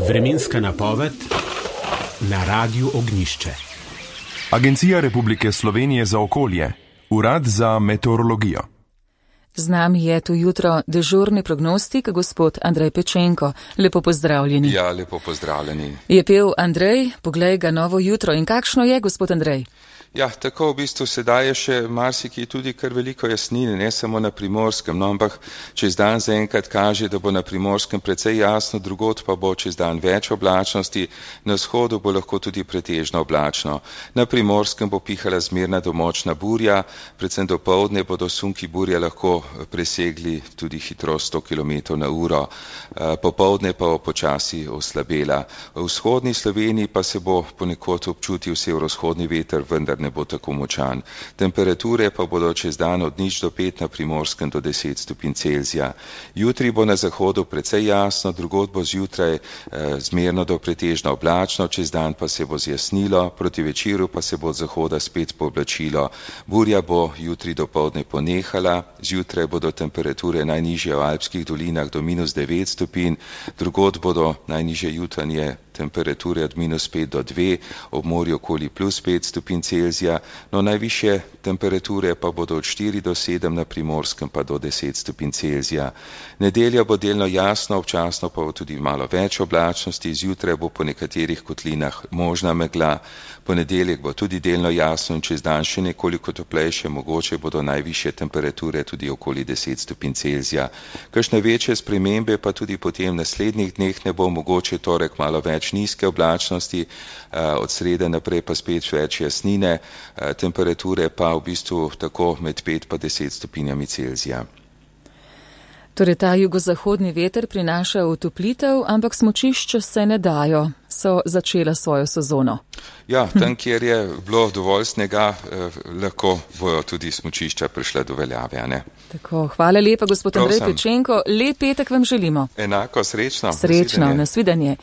Vremenska napoved na Radiu Ognjišče. Agencija Republike Slovenije za okolje, Urad za meteorologijo. Z nami je tu jutro dežurni prognostik, gospod Andrej Pečenko. Lepo pozdravljeni. Ja, lepo pozdravljeni. Je pel Andrej, poglej ga novo jutro. In kakšno je, gospod Andrej? Ja, tako v bistvu sedaj je še marsikaj tudi kar veliko jasnine, ne samo na Primorskem, no, ampak čez dan zaenkrat kaže, da bo na Primorskem precej jasno, drugod pa bo čez dan več oblačnosti, na vzhodu bo lahko tudi pretežno oblačno. Na Primorskem bo pihala zmerna do močna burja, predvsem dopoldne bodo sunki burje lahko presegli tudi hitrost 100 km/h, popoldne pa bo počasi oslabela. V vzhodni Sloveniji pa se bo ponekod občutil severovzhodni veter, vendar ne bo tako močan. Temperature pa bodo čez dan od 0 do 5, na Primorskem do 10 stopinj Celzija. Jutri bo na zahodu precej jasno, drugod bo zjutraj zmerno do pretežno oblačno, čez dan pa se bo zjasnilo, proti večeru pa se bo od zahoda spet pooblačilo. Burja bo jutri dopoldne ponehala, zjutraj bodo temperature najnižje v alpskih dolinah do -9 stopinj, drugod bodo najnižje jutranje temperature od -5 do 2, ob morju okoli +5 stopinj Celzija, no najvišje temperature pa bodo od 4 do 7, na Primorskem pa do 10 stopinj Celzija. Nedelja bo delno jasno, občasno pa bo tudi malo več oblačnosti, zjutraj bo po nekaterih kotlinah možna megla, ponedeljek bo tudi delno jasno in čez dan še nekoliko toplejše, mogoče bodo najvišje temperature tudi okoli 10 stopinj Celzija. Kakšne večje spremembe pa tudi potem v naslednjih dneh ne bo, mogoče torek malo več nizke oblačnosti, od srede naprej pa spet več jasnine, temperature pa v bistvu tako med 5 pa 10 stopinjami Celzija. Torej ta jugozahodni veter prinaša otoplitev, ampak smučišča se ne dajo, so začela svojo sezono. Ja, tam, kjer je bilo dovolj snega, lahko bojo tudi smučišča prišla do veljave, ne? Tako, hvala lepa, gospod Andrej Pečenko. Lep petek vam želimo. Enako, srečno. Srečno, nasvidenje.